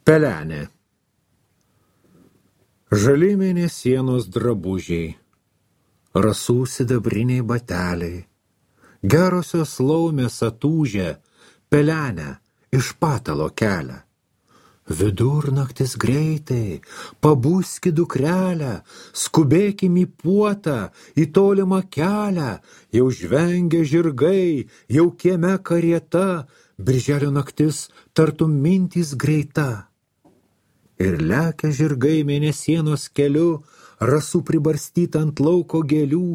Pelenė. Žali mėnesienos drabužiai, rasų sidabriniai bateliai, gerosios laumės atūžę pelenę iš patalo kelia. Vidurnaktis greitai, pabuski dukrelę, skubėkim į puotą, į tolimą kelią, jau žvengia žirgai, jau kieme karieta, birželio naktis tartum mintys greita. Ir lekia žirgai mėnesienos keliu, rasų pribarstyta ant lauko gėlių,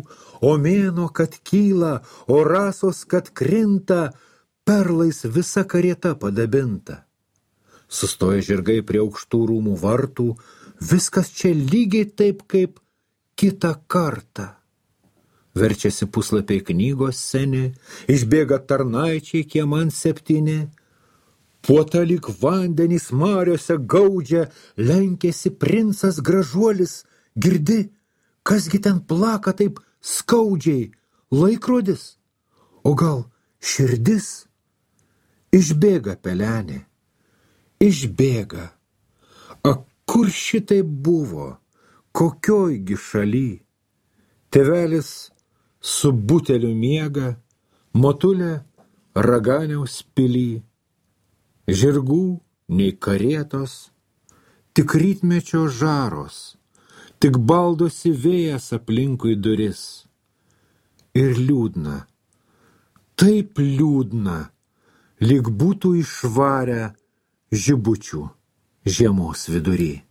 o mėnuo, kad kyla, o rasos, kad krinta, perlais visa karieta padabinta. Sustoja žirgai prie aukštų rūmų vartų, viskas čia lygiai taip, kaip kitą kartą. Verčiasi puslapiai knygos seni, išbėga tarnaičiai kieman 7. Puota lyg vandenys mariose gaudžia, lenkėsi princas gražuolis, girdi, kasgi ten plaka taip skaudžiai, laikrodis, o gal širdis? Išbėga pelenė, išbėga. A kur šitai buvo, kokiojgi šaly? Tėvelis su buteliu miega, motulė Raganiaus pily. Žirgų nei karietos, tik rytmečio žaros, tik baldosi vėjas aplinkui duris. Ir liūdna, taip liūdna, lyg būtų išvarę žibučių žiemos vidury.